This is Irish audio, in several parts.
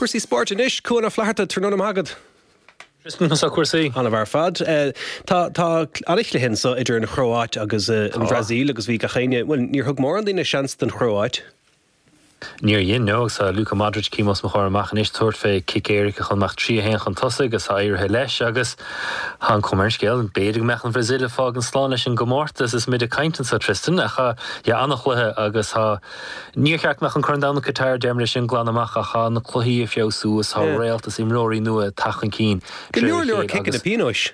Cúrsaí spóirt anois, Cuan Ó Flatharta, tráthnóna maith agat. Tristan, conas tá cúrsaí? An-mhaith ar fad. Tá tá an-chluiche anso idir an Chróáit agus an Bhrasaíl agus bhí gach éinne, bhuel, níor thug mórán daoine seans don Chróáit. Níor dhein, no, agus tá Luka Modric cím os mo chomhair amach anois tabhairt fé cic éirice chun mbeadh 3 1 chun tosaigh agus tá éirithe leis agus tá an chuma ar an scéal, b'fhéidir go mbeadh an Bhrasaíl ag fágaint slán leis an gcomórtas is muid ag caint anso, Tristan, ach yeah, an-chluiche agus tá, níor cheart go mbeadh an Corn Domhanda Qatar, deirim é sin glan amach ach tá na cluichí ag feabhsú is tá réalta is imreoirí nua ag teacht chun cinn Go leor leor ciceanna pionóis.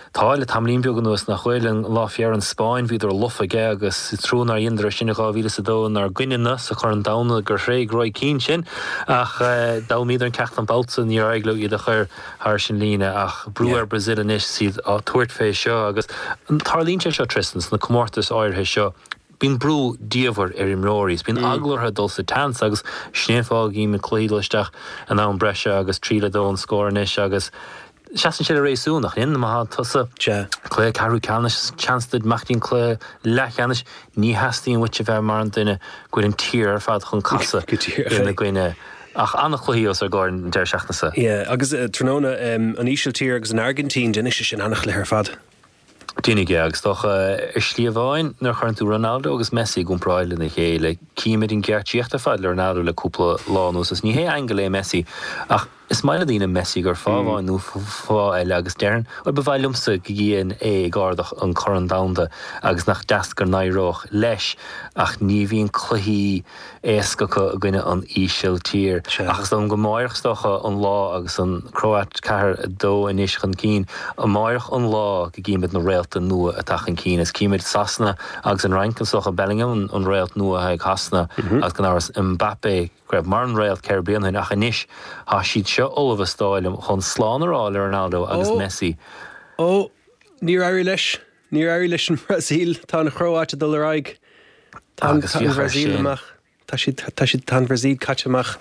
Tá, le tamaillín beag anuas, nach bhfuil? An lá fé dheireadh an Spáinn, bhíodar lofa aige agus is trua nár dheineadar é sin i 2002 inár gcoinne-na sa Chorn Domhanda gur thréig Roy Keane sin ach d'fhoghlaimíodar an ceacht an babhta san, níor éirigh leo iad a chur thairis an líne ach brú ar Brazil anois is iad á tabhairt fé seo agus tarlaíonn sé seo, Tristan, sna comórtais áirithe seo. Bíonn brú diamhair ar imreoirí is bíonn eagla orthu dul sa tseans agus sin é an fáth go gcímid cluichí dul isteach in am breise agus 3-2 an scór anois agus Seasann sé le réasún, nach ionann? Má tá tusa cluiche ceathrú ceannais, seans duit imeacht go dtí an cluiche leathcheannais, ní theastaíonn uait a bheith mar an duine go bhfuil an tír ar fad chun casadh ina gcoinne. Ach an-chluichí os ár gcomhair an deireadh seachtaine seo. Yeah, agus tráthnóna, an Ísiltír agus an Airgintín, déanfaidh sé sin an-chluiche ar fad. Déanfaidh, yeah, agus dócha, ar shlí amháin, nuair a chuireann tú Ronaldo agus Messi i gcomparáid lena chéile, címid an gceartaíocht ar fad le Ronaldo le cúpla lá anuas, agus ní hé aingeal é Messi, ach is maith le daoine Messi gur fáth amháin nó fáth eile agus déarfainn, bhuel, ba mhaith liomsa go gcífinn é ag ardach an Corn Domhanda agus nach deas go n-éireodh leis ach ní bhíonn cluichí éasca acu i gcoinne an Ísiltír. Ach is dóigh liom go amáireach is dócha an lá agus an Chróit 4, 2 anois chun cinn, amáireach an lá go gcímid na réalta nua atá chun cinn is címid Sasana agus an Fhrainc is dócha Bellingham an réalt nua atá ag Shasana agus gan amhras Mbappé go raibh mar an réalt 4 bliana ó shin ach anois tá siad seo ullamh is dóigh liom chun slán a rá le Ronaldo agus Messi. Ó, níor éirigh leis. Níor éirigh leis an mBrasaíl. Tá an Chróáit ag dul ar aghaidh. Tá an Bhrasaíl amach. Tá siad, tá siad, tá an Bhrasaíl caite amach.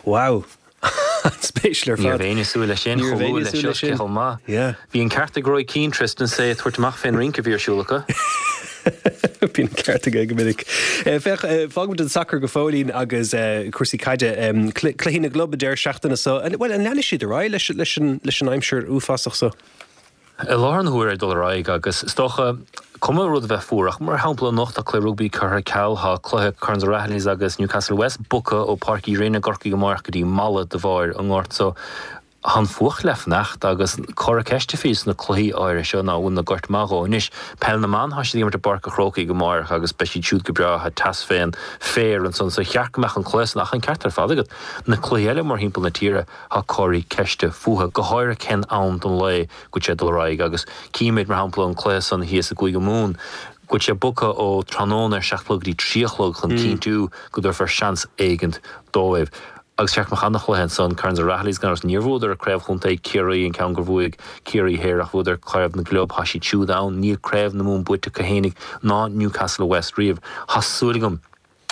Wow! An-spéisiúil ar fad. Ní raibh éinne ag súil leis sin, chomh luath leis seo, cé chomh maith. Yeah. Bhí an ceart ag Roy Keane, Tristan, is é ag tabhairt amach fén rince a bhí ar siúl acu. Bíonn an ceart aige go minic. Féach, fágfaimid an sacar go fóillín agus cúrsaí caide. Cluichí na gclub an deireadh seachtaine seo. Bhuel, an leanfaidh siad ar aghaidh leis an aimsir uafásach seo? I láthair na huaire ag dul ar aghaidh agus is dócha, cuma rud a bheith fuar ach mar shampla anocht tá cluiche rugbaí curtha ar ceal, tá cluiche Kerins O'Rahillys agus Newcastle West bogtha ó Páirc Uí Rinn i gCorcaigh amárach go dtí Mala de bharr an ngort so tá an fuacht le fanacht agus comhartha ceiste fiú sna cluichí áirithe seo ná bhfuil na goirt maith dhó. Anois, peil na mban, tá siad ag imirt i bPáirc a' Chrócaigh amárach agus beidh siad siúd go breá, tá teas fén féar ansan so cheart go mbeadh an cluiche san ach an ceart ar fad agat, na cluichí eile mórthimpeall na tíre, Tá comharthaí ceiste fúthu, go háirithe cén am den lae go bhfuil sé ag dul ar aghaidh agus címid, mar shampla, an cluiche san thíos i gCúige Mumhan, go bhfuil sé bogtha ó tráthnóna ar 7 a chlog go dtí 3 a chlog chun cinntiú go dtabharfar seans éigint dóibh. Agus cheart go mbeadh ana-chluiche ansan, Kerins O'Rahilly's gan amhras, níor bhuadar Craobh Chontae Chiarraí, an ceann gur bhuaigh Ciarraí Thoir ach bhuadar Craobh na gClub, tá siad siúd ann, níl Craobh na Mumhan buaite acu fhéinig ná Newcastle West riamh. Tá súil agam.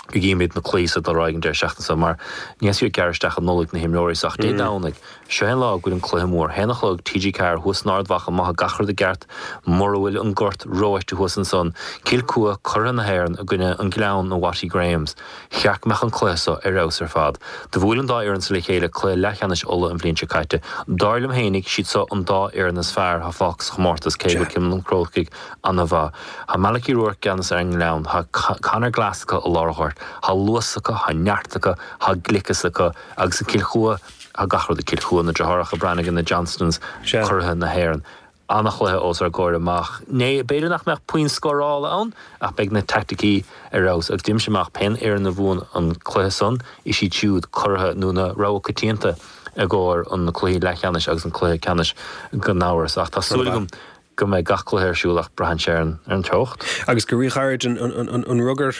go gcímid na cluichí so ag dul ar aghaidh an deireadh seachtaine seo mar ní theastaíonn uait gearradh isteach i Nollaig na himreoirí so ach Dé Domhnaigh, seo é an lá go bhfuil an cluiche mór. Haon a chlog, TG4, thuas in Ard Mhacha, má tá gach rud i gceart, mura bhfuil an gort reoite thuas ansan, Cill Chua, curaidh na hÉireann i gcoinne an Gleann i Watty Grahams. Cheart go mbeadh an cluiche so ar fheabhas ar fad. Do bhuail an dá fhoireann so le chéile cluiche leathcheannais Uladh an bhliain seo caite. Dar liom fhéinig, siad so an dá fhoireann is fearr atá fágtha sa chomórtas cé go bhfuil Cill an Chrócaigh Ana-mhaith. Tá Malachy Rourke i gceannas ar an nGleann. Tá Conor Glass acu i lár an ghoirt. Tá luas acu, tá neart acu, tá gliceas acu. Agus i gCill Chua, tá gach rud ag Cill Chua, na deartháireacha Brannigan, na Johnstons, curaithe na hÉireann. Ana-chluiche os ár gcomhair amach. Né, b'fhéidir nach mbeadh puinn scórála ann, ach beidh na teaicticí ar fheabhas. Agus deirimse amach, pén fhoireann a bhuann an cluiche san, is iad siúd curaithe nó na rogha coitianta i gcomhair an cluichí leathcheannais agus an cluiche ceannais gan amhras. Ach tá súil agam go mbeidh gach cluiche ar siúl ach braitheann sé ar an teocht. Agus go ríghairid an rugar,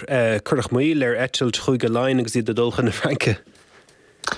cuireadh moill ar eitilt Chúige Laighean agus iad ag dul chun na Fraince.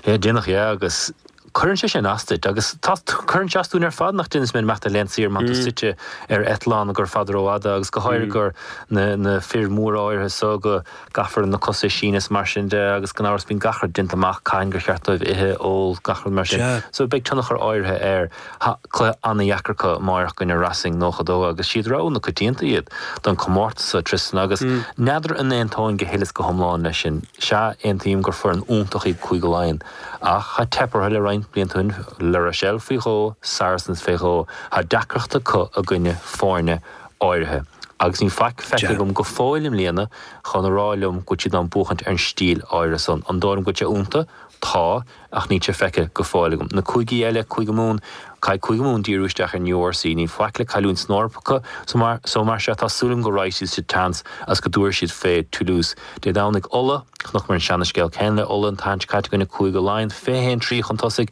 Yeah, déanach, yeah, agus. Cuireann sé sin as duit agus tá, cuireann sé as dúinn ar fad nach déanann is mé imeacht ar laethanta saoire má tá tú suite ar eitleán gur fada rófhada agus go háirithe gur na, na fir mhóra áirithe so go gcaithfear na cosa a síneadh is mar sin de agus gan amhras bíonn gach rud déanta amach cathain gur cheart dóibh ithe, ól, gach rud mar sin. So beidh tionchar áirithe air. Tá cluiche an-dheacair acu amáireach i gcoinne Racing 92 agus siad rogha na coitianta iad don comórtas seo, Tristan, agus n'fheadar an aontóinn go huile is go hiomlán leis sin. Sea, aontaím gur foireann iontach iad Cúige Laighean. Ach tá teip orthu le roinnt blianta ó shin, La Rochelle faoi dhó, Saracens fé dhó. Tá deacracht acu i gcoinne foirne áirithe. Agus níl faic feicthe agam go fóill i mbliana chun a rá liom go bhfuil siad in ann buachaint ar an stíl áirithe san. An dóigh liom go bhfuil sé iontu? Tá, ach níl sé feicthe go fóill agam. Na cúigí eile, Cúige Mumhan, Caithfidh Cúige Mumhan díriú isteach ar an URC. Níl faic le cailliúint san Eoraip acu so mar so mar sea tá súil agam go raghaidh siad sa tseans agus go dtabharfaidh siad fé Toulouse Dé Domhnaigh. Ulaidh, Chonaiceamar an seana-scéal céanna le Ulaidh an tseachtain seo caite i gcoinne Cúige Laighean, 21 3 chun tosaigh.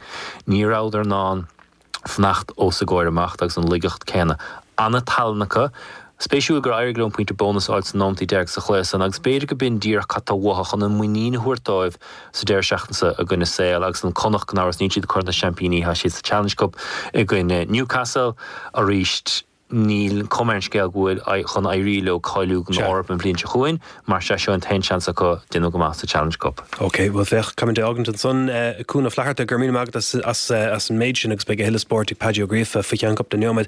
Ní rabhadar in ann fanacht os a gcomhair amach agus an laigeacht céanna. Ana-tallann acu. Spéisiúil gur éirigh leo an pointe bónais a fháil sna nóimeataí deiridh sa chluiche san agus b'fhéidir go b'in díreach cad tá uathu chun an muinín a thabhairt dóibh sa deireadh seachtaine seo i gcoinne Sale agus an Connacht gan amhras níl siad i gCorn na Seaimpíní tá siad sa Challenge Cup i gcoinne Newcastle arís. Níl cuma ar an scéal go bhfuil chun éirí leo cáiliú don Eoraip an bhliain seo chugainn, mar sea seo an t-aon seans acu déanamh go maith sa Challenge Cup. Ok, bhuel féach, caithfidh muid é a fhágaint ansan. Cuan Ó Flatharta, go raibh míle maith agat as an méid sin agus beidh a thuilleadh spóirt ag Paddy Ó Gríofa faoi cheann cúpla neomad.